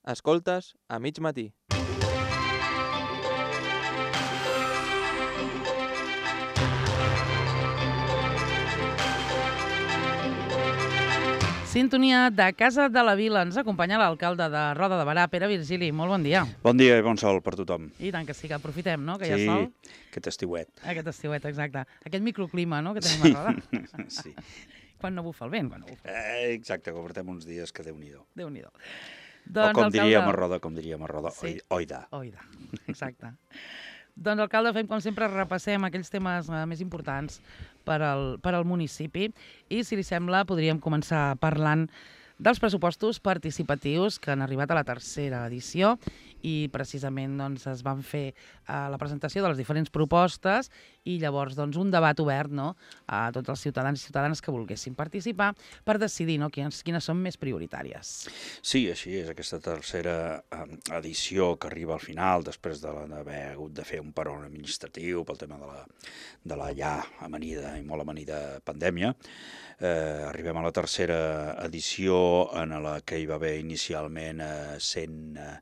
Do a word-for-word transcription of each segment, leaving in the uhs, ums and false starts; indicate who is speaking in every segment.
Speaker 1: Escoltes a mig matí.
Speaker 2: Sintonia de Casa de la Vila. Ens acompanya l'alcalde de Roda de Berà, Pere Virgili. Molt bon dia.
Speaker 3: Bon dia i bon sol per tothom.
Speaker 2: I tant que sí, que aprofitem, no?, que hi ha
Speaker 3: Sí,
Speaker 2: sol.
Speaker 3: aquest estiuet.
Speaker 2: Aquest estiuet, exacte. Aquest microclima, no?, que tenim a Roda.
Speaker 3: Sí.
Speaker 2: Quan no bufa el vent, quan no bufa.
Speaker 3: Eh, exacte, que portem uns dies que Déu-n'hi-do.
Speaker 2: Déu-n'hi-do.
Speaker 3: O
Speaker 2: Doncs,
Speaker 3: com
Speaker 2: alcalde...
Speaker 3: diríem a Roda, com diríem a Roda,
Speaker 2: Sí.
Speaker 3: oi, oida.
Speaker 2: Oida, exacte. Doncs, alcalde, fem com sempre, repassem aquells temes eh, més importants per al, per al municipi i, si li sembla, podríem començar parlant dels pressupostos participatius que han arribat a la tercera edició i precisament doncs, es van fer eh, la presentació de les diferents propostes i llavors doncs, un debat obert, no?, a tots els ciutadans i ciutadanes que volguessin participar per decidir, no?, quines, quines són més prioritàries.
Speaker 3: Sí, així és, aquesta tercera eh, edició que arriba al final després de- d'haver hagut de fer un peron administratiu pel tema de la, de la ja amanida i molt amanida pandèmia. Eh, arribem a la tercera edició en la que hi va haver inicialment eh, cent... Eh,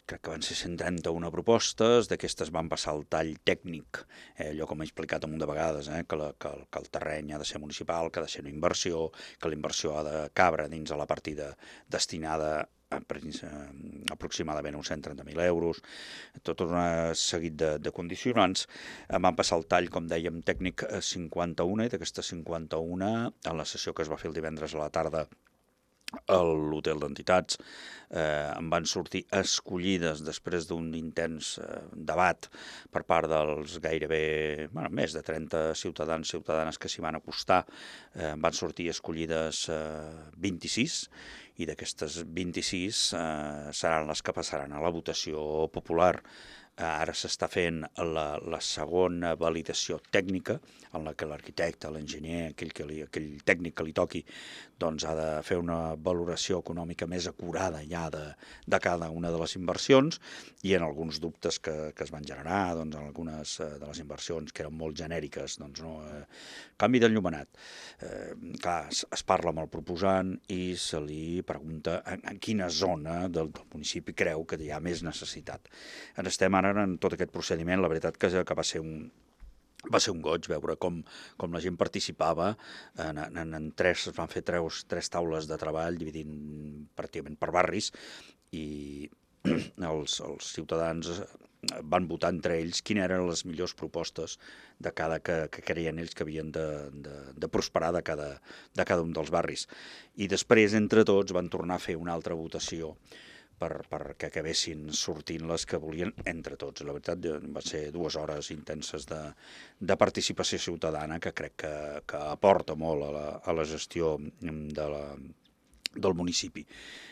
Speaker 3: crec que van ser cent trenta-una propostes, d'aquestes van passar al tall tècnic, eh, allò com he explicat un munt de vegades, eh, que, la, que, el, que el terreny ha de ser municipal, que ha de ser una inversió, que la inversió ha de cabre dins de la partida destinada a, a aproximadament uns cent trenta mil euros, tot un seguit de, de condicionants. Em van passar al tall, com dèiem, tècnic eh, cinquanta-una, i d'aquestes cinquanta-una, en la sessió que es va fer el divendres a la tarda a l'hotel d'entitats, eh, en van sortir escollides després d'un intens eh, debat per part dels gairebé, bueno, més de trenta ciutadans i ciutadanes que s'hi van acostar, eh, van sortir escollides eh, vint-i-sis, i d'aquestes vint-i-sis eh, seran les que passaran a la votació popular. Eh, ara s'està fent la, la segona validació tècnica, en la que l'arquitecte, l'enginyer, aquell, que li, aquell tècnic que li toqui, doncs ha de fer una valoració econòmica més acurada ja de, de cada una de les inversions, i en alguns dubtes que, que es van generar, doncs, en algunes eh, de les inversions que eren molt genèriques, doncs, no, eh, canvi d'enllumenat. Eh, clar, es, es parla amb el proposant i se li pregunta en, en quina zona del, del municipi creu que hi ha més necessitat. En estem ara en tot aquest procediment. La veritat que, que va ser un va ser un goig veure com, com la gent participava. En, en, en tres, es van fer tres, tres taules de treball dividint pràcticament per barris, i els, els ciutadans van votar entre ells quines eren les millors propostes de cada que, que creien ells que havien de, de, de prosperar de cada, de cada un dels barris. I després, entre tots, van tornar a fer una altra votació per, perquè acabessin sortint les que volien entre tots. La veritat, va ser dues hores intenses de, de participació ciutadana que crec que, que aporta molt a la, a la gestió de la, del municipi.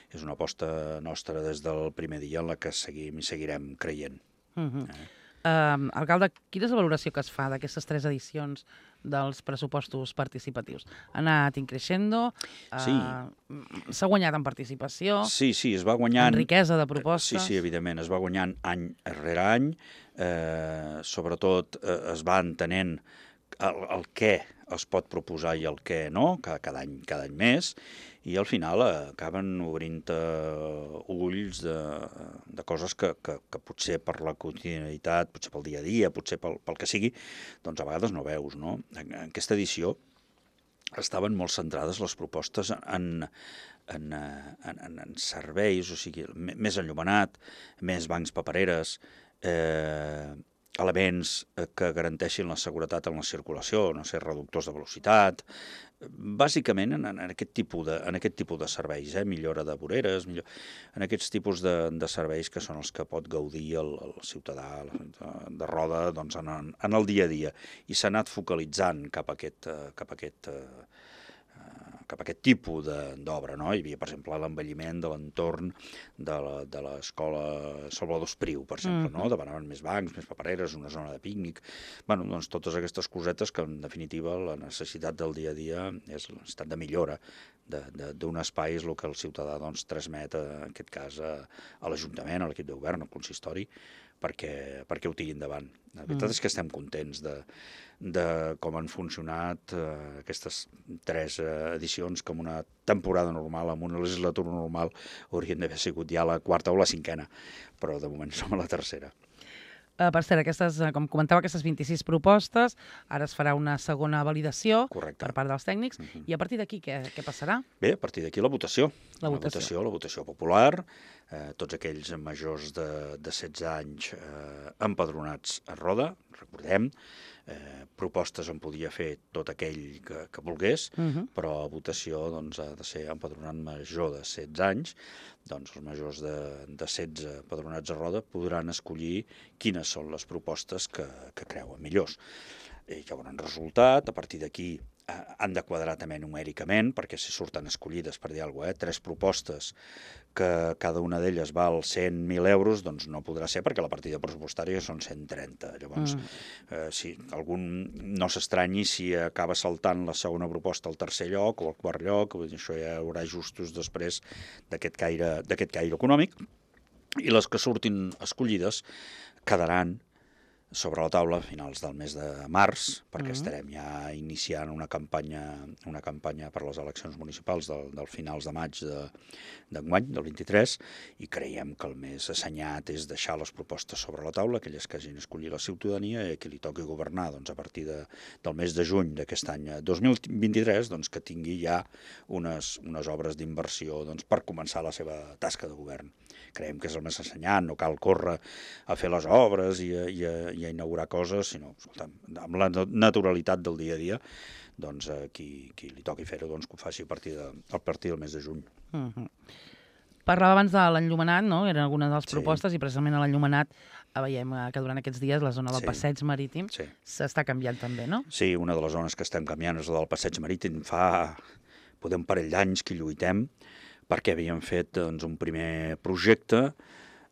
Speaker 3: És una aposta nostra des del primer dia en la que seguim i seguirem creient.
Speaker 2: Uh -huh. eh? Uh, alcalde, quina és la valoració que es fa d'aquestes tres edicions dels pressupostos participatius? Ha anat increixendo? Uh,
Speaker 3: Sí.
Speaker 2: S'ha guanyat en participació?
Speaker 3: Sí, sí, es va guanyant...
Speaker 2: En riquesa de propostes?
Speaker 3: Sí, sí, evidentment, es va guanyant any rere any, eh, sobretot eh, es va entenent el, el què es pot proposar i el què no, cada, cada, any, cada any més, i al final eh, acaben obrint eh, ulls de, de coses que, que, que potser per la quotidianitat, potser pel dia a dia, potser pel, pel que sigui, doncs a vegades no veus, no? En, en aquesta edició estaven molt centrades les propostes en, en, en, en, en serveis, o sigui, més enllumenat, més bancs papereres, eh, elements que garanteixin la seguretat en la circulació, no sé, reductors de velocitat, bàsicament en, en, aquest, tipus de, en aquest tipus de serveis, eh? Millora de voreres, millor, en aquests tipus de, de serveis que són els que pot gaudir el, el ciutadà de, de Roda doncs, en, en el dia a dia. I s'ha anat focalitzant cap a aquest, cap a aquest cap a aquest tipus d'obra, no? Hi havia, per exemple, l'envelliment de l'entorn de l'escola Salvador Espriu, per exemple, no? Demanaven més bancs, més papereres, una zona de pícnic. Bueno, doncs totes aquestes cosetes que, en definitiva, la necessitat del dia a dia és l'estat de millora d'un espai, és el que el ciutadà doncs, transmet, en aquest cas, a, a l'Ajuntament, a l'equip de govern, al consistori, perquè, perquè ho tiri endavant. La veritat mm. és que estem contents de, de com han funcionat eh, aquestes tres eh, edicions, que en una temporada normal, en una legislatura normal, haurien d'haver sigut ja la quarta o la cinquena, però de moment som a la tercera.
Speaker 2: Uh, per cert, aquestes, uh, com comentava, aquestes vint-i-sis propostes, ara es farà una segona validació
Speaker 3: Correcte.
Speaker 2: per part dels tècnics,
Speaker 3: Uh-huh.
Speaker 2: i a partir d'aquí què, què passarà?
Speaker 3: Bé, a partir d'aquí la votació.
Speaker 2: La
Speaker 3: La
Speaker 2: votació.
Speaker 3: votació, la votació popular, eh, tots aquells majors de, de setze anys eh, empadronats a Roda, recordem, eh, propostes en podia fer tot aquell que, que volgués,
Speaker 2: Uh -huh.
Speaker 3: però a votació doncs, ha de ser empadronat major de setze anys, doncs els majors de, de setze empadronats a Roda podran escollir quines són les propostes que, que creuen millors. I ja hauran resultat, a partir d'aquí eh, han de quadrar també numèricament, perquè si surten escollides, per dir alguna cosa, eh, tres propostes que cada una d'elles val cent mil euros, doncs no podrà ser perquè la partida pressupostària són cent trenta. Llavors, mm. eh, si algun no s'estranyi si acaba saltant la segona proposta al tercer lloc o al quart lloc, això ja hi haurà ajustos després d'aquest caire, d'aquest caire econòmic, i les que surtin escollides quedaran sobre la taula a finals del mes de març, perquè mm. estarem ja iniciant una campanya, una campanya per les eleccions municipals del, del finals de maig d'enguany, del vint-i-tres, i creiem que el més assenyat és deixar les propostes sobre la taula, aquelles que hagin escollit la ciutadania, i a qui li toqui governar doncs, a partir de, del mes de juny d'aquest any dos mil vint-i-tres, doncs, que tingui ja unes, unes obres d'inversió doncs, per començar la seva tasca de govern. Creiem que és el més assenyat, no cal córrer a fer les obres i a, i a, i a inaugurar coses, sinó escolta, amb la naturalitat del dia a dia, doncs eh, qui, qui li toqui fer-ho doncs, que ho faci a partir, de, a partir del mes de juny.
Speaker 2: Uh -huh. Parlava abans de l'enllumenat, no? Eren algunes de les propostes, sí. I precisament a l'enllumenat veiem que durant aquests dies la zona del sí. passeig marítim s'està sí. canviant també, no?
Speaker 3: Sí, una de les zones que estem canviant és la del passeig marítim. Fa podem un parell d'anys que lluitem perquè havíem fet doncs, un primer projecte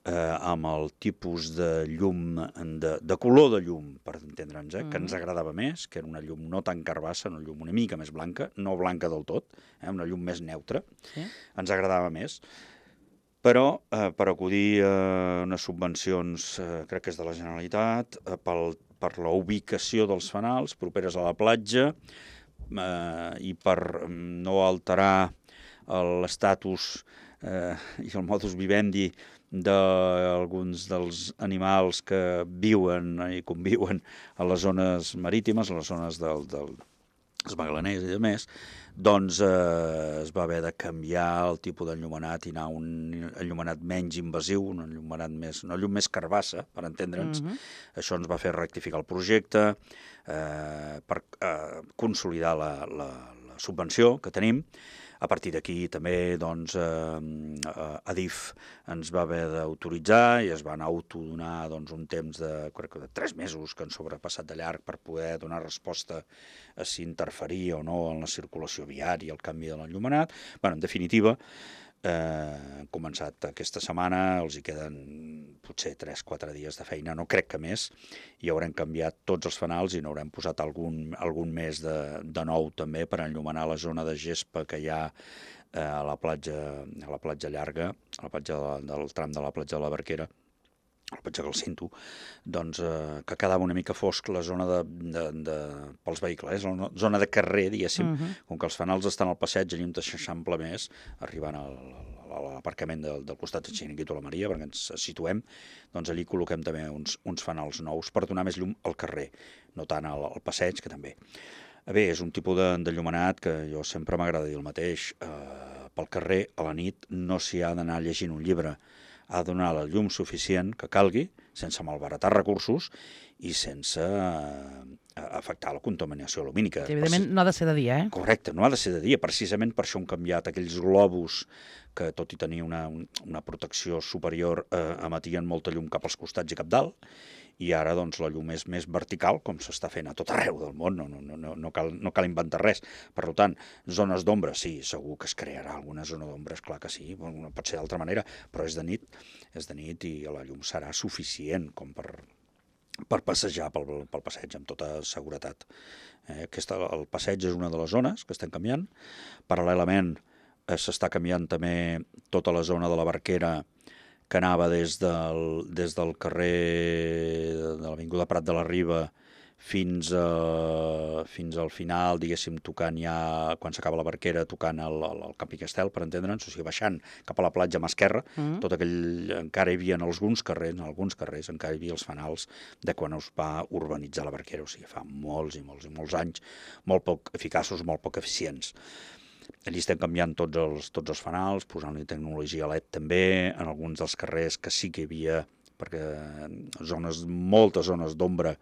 Speaker 3: eh, amb el tipus de llum, de, de color de llum, per entendre'ns, eh, mm. que ens agradava més, que era una llum no tan carbassa, una llum una mica més blanca, no blanca del tot, eh, una llum més neutra, sí. ens agradava més. Però eh, per acudir a unes subvencions, eh, crec que és de la Generalitat, eh, pel, per la ubicació dels fanals properes a la platja eh, i per no alterar l'estatus eh, i el modus vivendi d'alguns dels animals que viuen i conviuen a les zones marítimes, a les zones del, del, dels magalaners i demés, doncs eh, es va haver de canviar el tipus d'enllumenat i anar a un enllumenat menys invasiu, un enllumenat més, una llum més carbassa, per entendre'ns. Mm-hmm. Això ens va fer rectificar el projecte eh, per eh, consolidar la, la, la subvenció que tenim. A partir d'aquí també doncs, eh, Adif ens va haver d'autoritzar i es van autodonar doncs, un temps de, crec que de tres mesos que han sobrepassat de llarg per poder donar resposta a si interferia o no en la circulació viària, el canvi de l'enllumenat. Bé, en definitiva, eh, han començat aquesta setmana, els hi queden potser tres o quatre dies de feina, no crec que més, i haurem canviat tots els fanals i n'haurem posat algun, algun més de, de nou també per enllumenar la zona de gespa que hi ha eh, a la platja, a la platja llarga, a la platja de, del tram de la platja de la Barquera, a la platja del Cinto, doncs eh, que quedava una mica fosc la zona de, de, de, pels vehicles, la zona de carrer, diguéssim, uh -huh. com que els fanals estan al passeig, allà on s'eixampla més, arribant al, a l'aparcament del, del costat del Xiringuito a la Maria, perquè ens situem, doncs allí col·loquem també uns, uns fanals nous per donar més llum al carrer, no tant al, al passeig, que també. Bé, és un tipus d'enllumenat que jo sempre m'agrada dir el mateix. Eh, pel carrer, a la nit, no s'hi ha d'anar llegint un llibre. Ha de donar la llum suficient que calgui, sense malbaratar recursos i sense eh, afectar la contaminació lumínica.
Speaker 2: Que, evidentment, no ha de ser de dia, eh?
Speaker 3: Correcte, no ha de ser de dia. Precisament per això han canviat aquells globus que, tot i tenir una, una protecció superior, eh, emetien molta llum cap als costats i cap dalt, i ara doncs, la llum és més vertical, com s'està fent a tot arreu del món, no, no, no, no, cal, no cal inventar res. Per tant, zones d'ombra, sí, segur que es crearà alguna zona d'ombra, és clar que sí, no pot ser d'altra manera, però és de nit, és de nit i la llum serà suficient com per, per passejar pel, pel passeig amb tota seguretat. Eh, aquesta, el passeig és una de les zones que estem canviant. Paral·lelament eh, s'està canviant també tota la zona de la Barquera que anava des del, des del carrer de l'Avinguda Prat de la Riba fins, a, fins al final, diguéssim, tocant ja, quan s'acaba la Barquera, tocant el, el, el Camp i Castel, per entendre'ns, o sigui, baixant cap a la platja mà esquerra, mm. tot aquell, encara hi havia en alguns carrers, en alguns carrers, encara hi havia els fanals de quan es va urbanitzar la Barquera, o sigui, fa molts i molts i molts anys, molt poc eficaços, molt poc eficients. Allí estem canviant tots els, tots els fanals, posant-hi tecnologia L E D també, en alguns dels carrers que sí que hi havia, perquè zones, moltes zones d'ombra,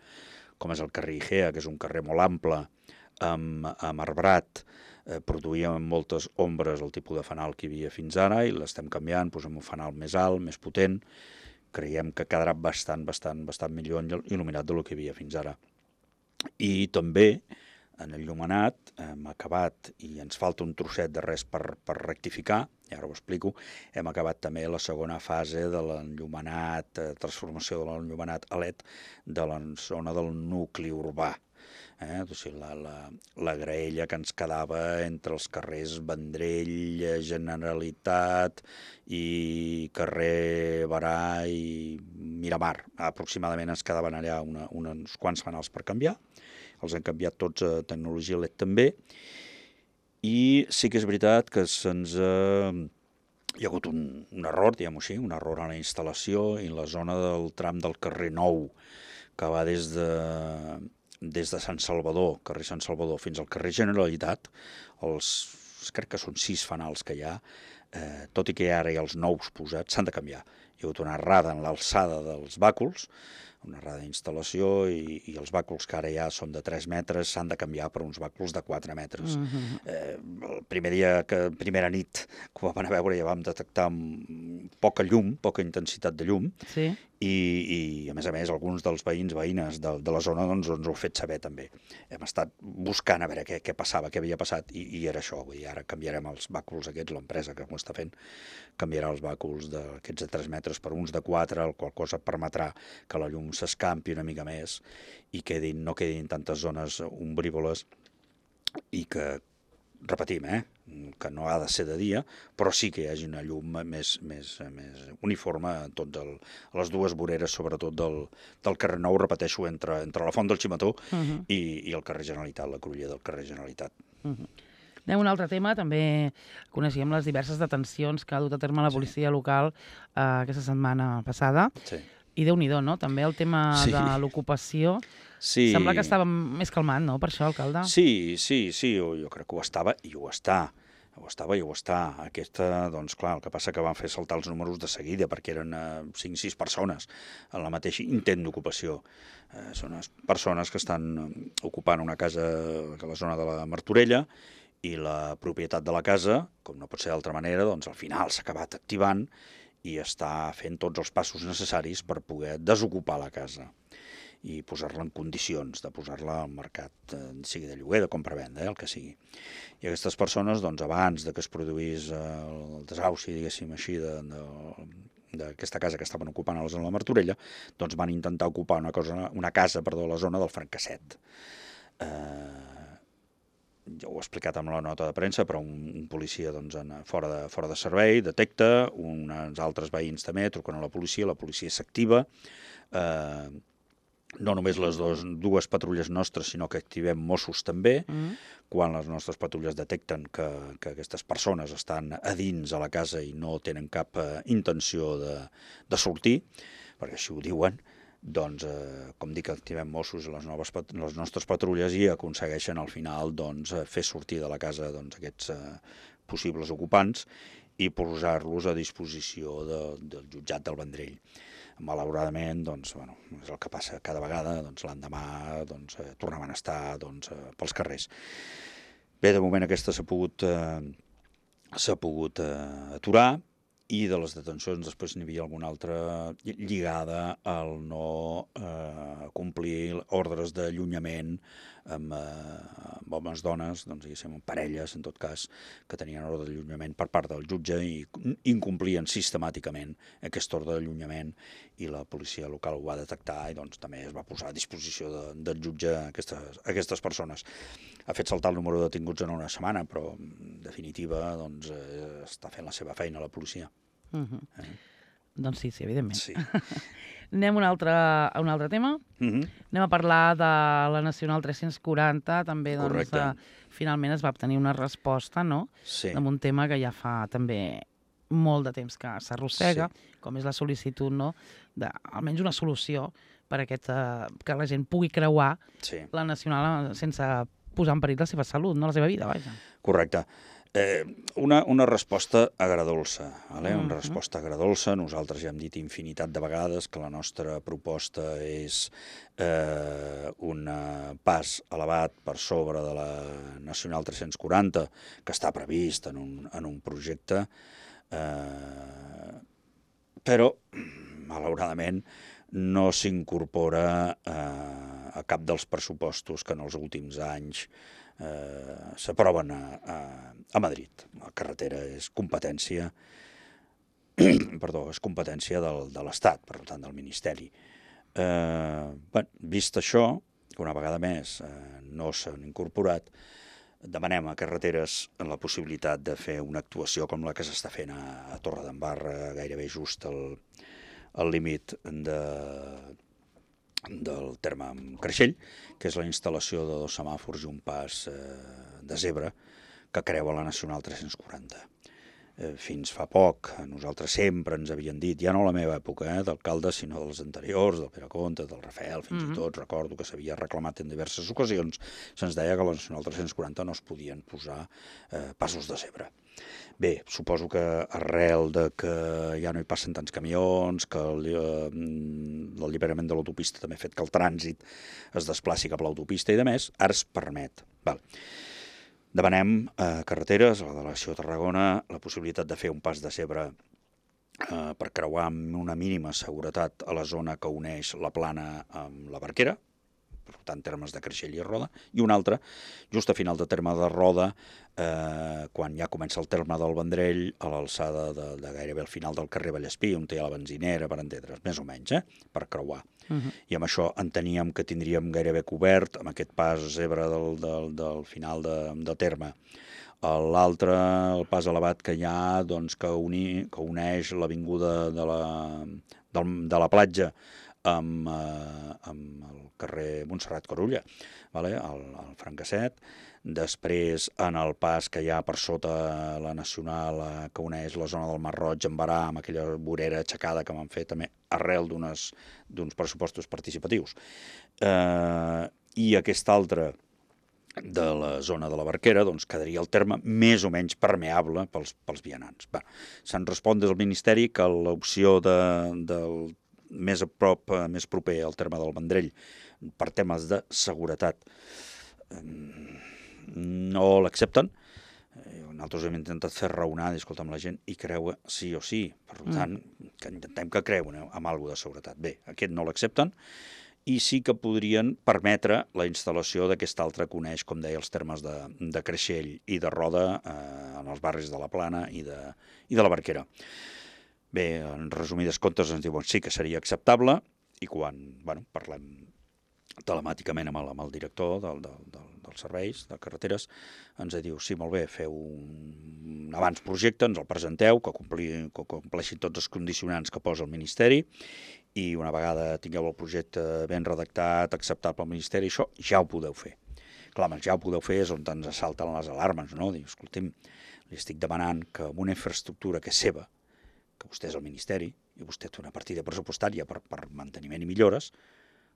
Speaker 3: com és el carrer Igea, que és un carrer molt ample, amb, amb arbrat, eh, produïen moltes ombres el tipus de fanal que hi havia fins ara, i l'estem canviant, posem un fanal més alt, més potent, creiem que quedarà bastant, bastant, bastant millor il·luminat del que hi havia fins ara. I també, en el llumenat hem acabat, i ens falta un trosset de res per, per rectificar, i ara ho explico, hem acabat també la segona fase de l'enllumenat, eh, transformació de l'enllumenat a L E D de la zona del nucli urbà. Eh? O sigui, la, la, la graella que ens quedava entre els carrers Vendrell, Generalitat i carrer Barà i Miramar. Aproximadament ens quedaven allà una, uns quants fanals per canviar. Els hem canviat tots a tecnologia L E D també, i sí que és veritat que se'ns ha... hi ha hagut un, un error, diguem-ho així, un error en la instal·lació i en la zona del tram del carrer Nou, que va des de, des de Sant Salvador, carrer Sant Salvador, fins al carrer Generalitat, els, crec que són sis fanals que hi ha, eh, tot i que ara hi ha els nous posats, s'han de canviar. Hi ha hagut una errada en l'alçada dels bàculs, una errada d'instal·lació, i, i els bàculs que ara ja són de tres metres s'han de canviar per uns bàculs de quatre metres. Mm-hmm. eh, el primer dia, que primera nit, que ho vam anar a veure, ja vam detectar poca llum, poca intensitat de llum,
Speaker 2: sí.
Speaker 3: i, i a més a més alguns dels veïns, veïnes de, de la zona doncs, ens ho han fet saber també. Hem estat buscant a veure què, què passava, què havia passat, i, i era això. Vull dir, ara canviarem els bàculs aquests, l'empresa que ho està fent, canviarà els bàculs d'aquests de tres metres per uns de quatre, el qual cosa permetrà que la llum s'escampi una mica més i quedin, no quedin tantes zones ombrívoles, i que, repetim, eh, que no ha de ser de dia, però sí que hi hagi una llum més, més, més uniforme a, tot el, a les dues voreres, sobretot del, del carrer Nou, repeteixo, entre, entre la Font del Ximató uh-huh. i, i el carrer Generalitat, la cruïlla del carrer Generalitat.
Speaker 2: Uh-huh. Anem a un altre tema, també coneixíem les diverses detencions que ha dut a terme la policia sí. local eh, aquesta setmana passada.
Speaker 3: Sí.
Speaker 2: I Déu-n'hi-do, no? També el tema sí. de l'ocupació.
Speaker 3: Sí.
Speaker 2: Sembla que estava més calmat, no?, per això, alcalde?
Speaker 3: Sí, sí, sí, jo, jo crec que ho estava, i ho està. Ho estava i ho està. Aquesta, doncs clar, el que passa que van fer saltar els números de seguida, perquè eren eh, cinc o sis persones en la mateixa intent d'ocupació. Eh, són les persones que estan ocupant una casa a la zona de la Martorella, i la propietat de la casa, com no pot ser d'altra manera, doncs al final s'ha acabat activant i està fent tots els passos necessaris per poder desocupar la casa i posar-la en condicions de posar-la al mercat, eh, sigui de lloguer, de compra-venda, eh, el que sigui. I aquestes persones, doncs, abans de que es produís eh, el desauci, diguéssim així, de, de, d'aquesta casa que estaven ocupant a la Martorella, doncs van intentar ocupar una, cosa, una casa perdó, a la zona del Francasset. Eh, ja ho he explicat amb la nota de premsa, però un, un policia doncs, en, fora, de, fora de servei detecta, uns altres veïns també truquen a la policia, la policia s'activa, eh, no només les dos, dues patrulles nostres, sinó que activem Mossos també, mm. quan les nostres patrulles detecten que, que aquestes persones estan a dins a la casa i no tenen cap eh, intenció de, de sortir, perquè així ho diuen, doncs, eh, com dic, activem Mossos les, noves, les nostres patrulles i aconsegueixen al final doncs, fer sortir de la casa doncs, aquests eh, possibles ocupants i posar-los a disposició de, del jutjat del Vendrell. Malauradament, doncs, bueno, és el que passa cada vegada, doncs, l'endemà doncs, eh, tornaven a estar doncs, eh, pels carrers. Bé, de moment aquesta s'ha pogut, eh, s'ha pogut eh, aturar, i de les detencions després n'hi havia alguna altra lligada al no eh, complir ordres d'allunyament amb, eh, amb homes, dones, doncs diguéssim, amb parelles, en tot cas, que tenien ordre d'allunyament per part del jutge i incomplien sistemàticament aquest ordre d'allunyament, i la policia local ho va detectar i doncs també es va posar a disposició de, del jutge a aquestes, aquestes persones. Ha fet saltar el número de detinguts en una setmana, però en definitiva doncs, eh, està fent la seva feina la policia.
Speaker 2: Uh-huh. eh? Doncs sí, sí, evidentment.
Speaker 3: Sí.
Speaker 2: Anem a un altre, a un altre tema.
Speaker 3: Mhm.
Speaker 2: Anem a parlar de la Nacional tres-cents quaranta. També, doncs,
Speaker 3: Correcte.
Speaker 2: eh, finalment es va obtenir una resposta, no?,
Speaker 3: Sí.
Speaker 2: amb un tema que ja fa també molt de temps que s'arrossega, com és la sol·licitud, no?, de almenys una solució per a aquest, eh, que la gent pugui creuar
Speaker 3: Sí.
Speaker 2: la Nacional eh, sense posar en perill la seva salut, no la seva vida, vaja.
Speaker 3: Correcte. Eh, una, una resposta agradolça, vale?
Speaker 2: Mhm.
Speaker 3: Una resposta agradolça. Nosaltres ja hem dit infinitat de vegades que la nostra proposta és eh, un pas elevat per sobre de la Nacional tres-cents quaranta, que està previst en un, en un projecte, eh, però, malauradament, no s'incorpora eh, a cap dels pressupostos que en els últims anys eh, s'aproven a, a, a Madrid. La carretera és competència perdó, és competència del, de l'Estat, per tant, del Ministeri. Eh, bé, vist això, que una vegada més eh, no s'han incorporat, demanem a Carreteres la possibilitat de fer una actuació com la que s'està fent a, a Torredembarra, gairebé just al, al límit de, del terme amb Creixell, que és la instal·lació de dos semàfors i un pas eh, de zebra que creua la Nacional tres-cents quaranta. Eh, fins fa poc, nosaltres sempre ens havien dit, ja no a la meva època eh, d'alcalde, sinó dels anteriors, del Pere Comte, del Rafael, fins
Speaker 2: Mhm.
Speaker 3: i tot recordo que s'havia reclamat en diverses ocasions, se'ns deia que a la Nacional tres-cents quaranta no es podien posar eh, passos de zebra. Bé, suposo que arrel de que ja no hi passen tants camions, que el, eh, l'alliberament de l'autopista també ha fet que el trànsit es desplaci cap a l'autopista i de més, ara es permet. Val. Demanem a Carreteres, a la delegació de Tarragona, la possibilitat de fer un pas de zebra eh, per creuar amb una mínima seguretat a la zona que uneix la Plana amb la Barquera, per tant, termes de Creixell i Roda, i un altre, just a final de terme de Roda, eh, quan ja comença el terme del Vendrell, a l'alçada de, de gairebé al final del carrer Vallespí, on té la benzinera, per entendre's, més o menys, eh, per creuar.
Speaker 2: Mhm.
Speaker 3: I amb això enteníem que tindríem gairebé cobert, amb aquest pas zebra del, del, del final de, de terme. L'altre, el pas elevat que hi ha, doncs, que, uni, que uneix l'avinguda de la, del, de la platja amb, eh, amb el carrer Montserrat Corulla, vale? el, el Francasset. Després, en el pas que hi ha per sota la Nacional, eh, que uneix la zona del Mar Roig amb Barà, amb aquella vorera aixecada que van fer també arrel d'uns pressupostos participatius. Eh, I aquest altre de la zona de la Barquera, doncs quedaria el terme més o menys permeable pels, pels vianants. Se'n respon des del Ministeri que l'opció de, del més a prop, més proper al terme del Vendrell, per temes de seguretat, no l'accepten. Nosaltres hem intentat fer raonar, escolta, amb la gent, i creua sí o sí. Per tant, que intentem que creuen amb alguna de seguretat. Bé, aquest no l'accepten, i sí que podrien permetre la instal·lació d'aquest altre que uneix, com deia, els termes de, de Creixell i de Roda eh, en els barris de la Plana i de, i de la Barquera. Bé, en resumides comptes ens diuen sí que seria acceptable, i quan bueno, parlem telemàticament amb el, amb el director del, del, del, dels serveis de carreteres, ens diu, sí, molt bé, feu un abans projecte, ens el presenteu, que, compli, que compleixin tots els condicionants que posa el Ministeri, i una vegada tingueu el projecte ben redactat, acceptat pel Ministeri, això ja ho podeu fer. Clar, ja ho podeu fer és on ens salten les alarmes, no? Diu, escolti'm, li estic demanant que amb una infraestructura que és seva, que vostè és el Ministeri, i vostè té una partida pressupostària per, per manteniment i millores,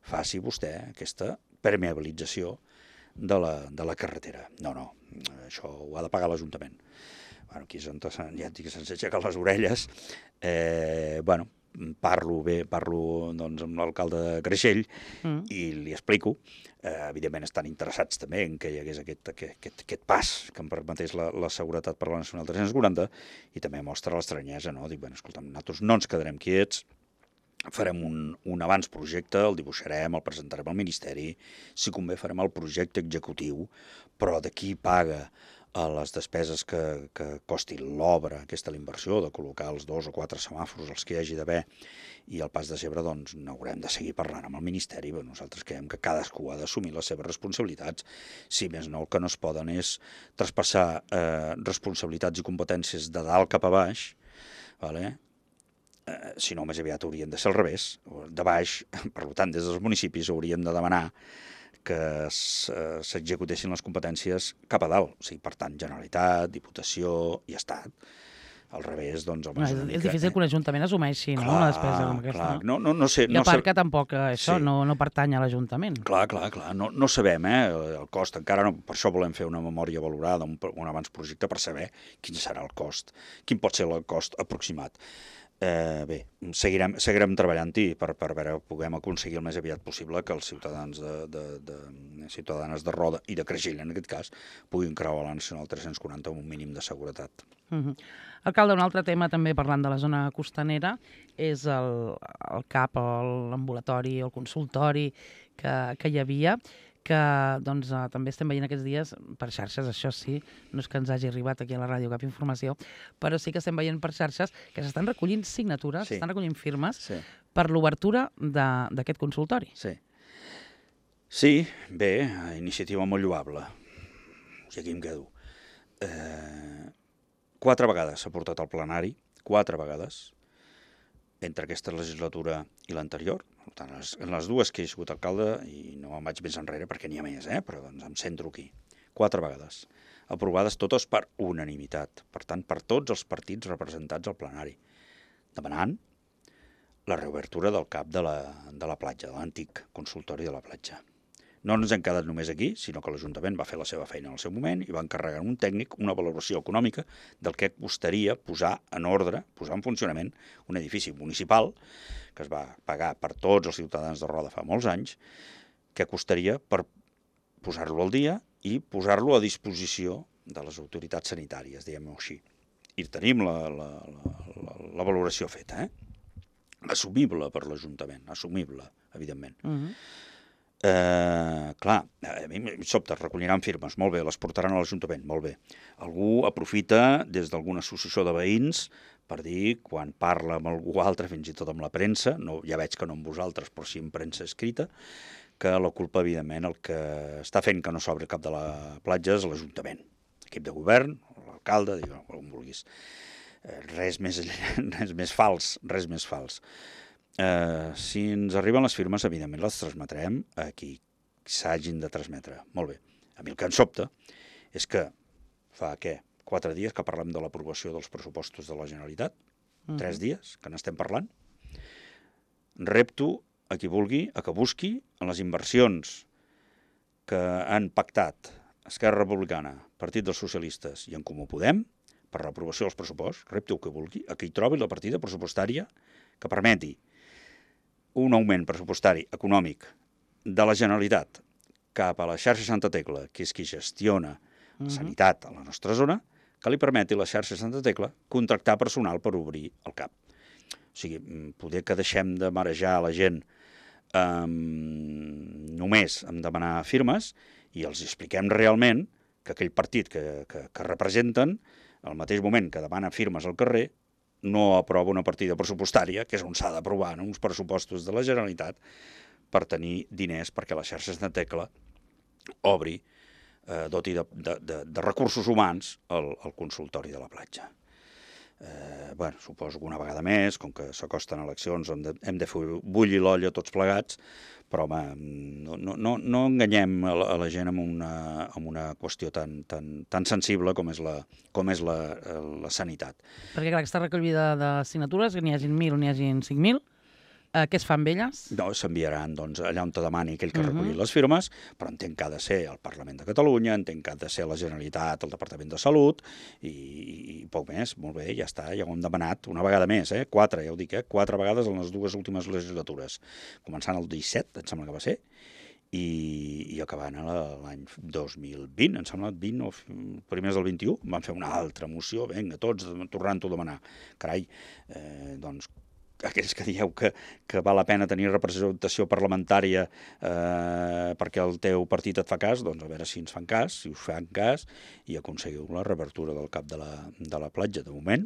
Speaker 3: faci vostè aquesta permeabilització de la, de la carretera. No, no, això ho ha de pagar l'Ajuntament. Bueno, aquí és on ja et dic que se'ns aixequen les orelles. Eh, bueno, parlo bé, parlo doncs, amb l'alcalde de Creixell mm. i li explico. Eh, evidentment estan interessats també en que hi hagués aquest, aquest, aquest pas que em permetés la, la seguretat per la Nacional tres-cents quaranta, i també mostra l'estranyesa, no? Dic, bueno, escolta'm, nosaltres no ens quedarem quiets, farem un, un abans projecte, el dibuixarem, el presentarem al Ministeri, si convé farem el projecte executiu, però de qui paga a les despeses que, que costi l'obra, aquesta la inversió, de col·locar els dos o quatre semàfors, els que hi hagi d'haver, i el pas de zebra, doncs n'haurem de seguir parlant amb el Ministeri. Però nosaltres creiem que cadascú ha d'assumir les seves responsabilitats. Si més no, el que no es poden és traspassar eh, responsabilitats i competències de dalt cap a baix, vale? eh, si no, més aviat haurien de ser al revés. De baix, per tant, des dels municipis hauríem de demanar que s'executessin les competències cap a dalt. O sigui, per tant, Generalitat, Diputació i Estat. Al revés, doncs... Home,
Speaker 2: No, és, és difícil que un ajuntament assumeixi, no?, una despesa com aquesta.
Speaker 3: Clar, no, no, no sé...
Speaker 2: I a
Speaker 3: no
Speaker 2: part
Speaker 3: sé...
Speaker 2: que tampoc això
Speaker 3: Sí.
Speaker 2: no, no pertany a l'Ajuntament.
Speaker 3: Clar, clar, clar. No, no sabem, eh, el cost. Encara no, per això volem fer una memòria valorada, un, un abans projecte, per saber quin serà el cost, quin pot ser el cost aproximat. Eh, bé, seguirem, seguirem treballant-hi per, per veure, puguem aconseguir el més aviat possible que els ciutadans de, de, de, ciutadanes de Roda i de Creixell, en aquest cas, puguin creuar la Nacional tres-cents quaranta amb un mínim de seguretat.
Speaker 2: Uh -huh. Alcalde, un altre tema també parlant de la zona costanera és el, el C A P, l'ambulatori, el consultori que, que hi havia, que doncs, eh, també estem veient aquests dies per xarxes, això sí, no és que ens hagi arribat aquí a la ràdio cap informació, però sí que estem veient per xarxes que s'estan recollint signatures, s'estan
Speaker 3: Sí.
Speaker 2: recollint firmes
Speaker 3: Sí.
Speaker 2: per l'obertura de- d'aquest consultori.
Speaker 3: Sí. Sí, bé, iniciativa molt lloable. I aquí em quedo. Eh, quatre vegades s'ha portat al plenari, quatre vegades, entre aquesta legislatura i l'anterior. Per tant, les, en les dues que he sigut alcalde, i no em vaig més enrere perquè n'hi ha més, eh? Però doncs em centro aquí. Quatre vegades. Aprovades totes per unanimitat. Per tant, per tots els partits representats al plenari. Demanant la reobertura del C A P de la, de la platja, de l'antic consultori de la platja. No ens hem quedat només aquí, sinó que l'Ajuntament va fer la seva feina en el seu moment i va encarregar un tècnic una valoració econòmica del que costaria posar en ordre, posar en funcionament un edifici municipal que es va pagar per tots els ciutadans de Roda fa molts anys, que costaria per posar-lo al dia i posar-lo a disposició de les autoritats sanitàries, diguem-ho així. I tenim la, la, la, la valoració feta, eh? Assumible per l'Ajuntament, assumible, evidentment.
Speaker 2: Uh -huh.
Speaker 3: Eh, clar, a mi em sobta, recolliran firmes, molt bé, les portaran a l'Ajuntament, molt bé. Algú aprofita des d'alguna associació de veïns per dir, quan parla amb algú altre, fins i tot amb la premsa, no, ja veig que no amb vosaltres, però sí en premsa escrita, que la culpa, evidentment, el que està fent que no s'obri cap de la platja és l'Ajuntament, l'equip de govern, l'alcalde, digueu, com vulguis. Eh, res més, res més fals, res més fals. Eh, si ens arriben les firmes, evidentment les transmetrem a qui s'hagin de transmetre. Molt bé. A mi el que em sobta és que fa, què, quatre dies que parlem de l'aprovació dels pressupostos de la Generalitat, uh-huh. tres dies que n'estem parlant, repto a qui vulgui, a que busqui en les inversions que han pactat Esquerra Republicana, Partit dels Socialistes i En Comú Podem, per l'aprovació dels pressuposts, repto a qui vulgui, a qui trobi la partida pressupostària que permeti un augment pressupostari econòmic de la Generalitat cap a la xarxa Santa Tecla, que és qui gestiona uh-huh. sanitat a la nostra zona, que li permeti la xarxa Santa Tecla contractar personal per obrir el C A P. O sigui, poder que deixem de marejar la gent um, només amb demanar firmes i els expliquem realment que aquell partit que, que, que representen, al mateix moment que demana firmes al carrer, no aprova una partida pressupostària, que és on s'ha d'aprovar, no? Uns pressupostos de la Generalitat per tenir diners perquè la xarxa Santa Tecla obri, eh, doti de, de, de, de recursos humans el, el consultori de la platja. Eh, bueno, suposo que una vegada més, com que s'acosten eleccions, hem de, hem de fer bullir l'olla tots plegats, però home, no, no, no, no enganyem a la, a la gent amb una, amb una qüestió tan, tan, tan sensible com és la, com és la, la sanitat.
Speaker 2: Perquè clar, aquesta recollida de signatures, que n'hi hagin mil o n'hi hagin cinc mil, eh, què es fa amb elles?
Speaker 3: No, s'enviaran doncs, allà on te demani aquell que uh-huh. recolli les firmes, però entenc que ha de ser el Parlament de Catalunya, entenc que ha de ser la Generalitat, el Departament de Salut, i, i poc més, molt bé, ja està, ja ho hem demanat una vegada més, eh? quatre, ja ho dic, eh? quatre vegades en les dues últimes legislatures, començant el disset, em sembla que va ser, i, i acabant l'any dos mil vint, em sembla vint o primers del vint-i-u, van fer una altra moció, vinga, tots tornant-ho a demanar. Carai, eh, doncs, aquells que dieu que, que val la pena tenir representació parlamentària eh, perquè el teu partit et fa cas, doncs a veure si ens fan cas, si us fan cas, i aconseguiu la reobertura del C A P de la, de la platja. De moment,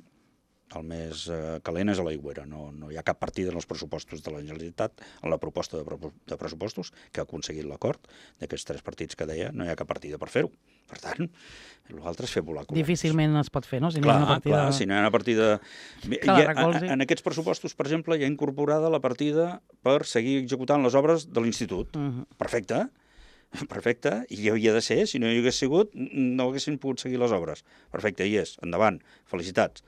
Speaker 3: el més eh, calent és a l'Aigüera. No, no hi ha cap partida en els pressupostos de la Generalitat, en la proposta de, pro de pressupostos, que ha aconseguit l'acord d'aquests tres partits que deia, no hi ha cap partida per fer-ho. Per tant, l'altre és fer volar coloms.
Speaker 2: Difícilment es pot fer, no? Si no
Speaker 3: clar,
Speaker 2: hi ha una partida...
Speaker 3: clar, si no hi ha una partida...
Speaker 2: Que la recolzi.
Speaker 3: En aquests pressupostos, per exemple, hi ha incorporada la partida per seguir executant les obres de l'institut. Uh -huh. Perfecte. Perfecte, i hi havia de ser, si no hi hagués sigut, no haguessin pogut seguir les obres. Perfecte, hi és, endavant, felicitats.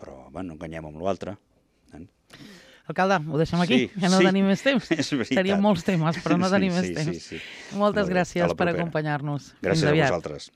Speaker 3: Però, home, no enganyem amb l'altre. Eh?
Speaker 2: Alcalde, ho deixem aquí,
Speaker 3: sí,
Speaker 2: ja no
Speaker 3: sí,
Speaker 2: tenim més temps. Serien molts temes, però no tenim
Speaker 3: sí,
Speaker 2: més
Speaker 3: sí,
Speaker 2: temps.
Speaker 3: sí, sí.
Speaker 2: Moltes gràcies per
Speaker 3: acompanyar-nos.
Speaker 2: acompanyar-nos.
Speaker 3: Gràcies a vosaltres.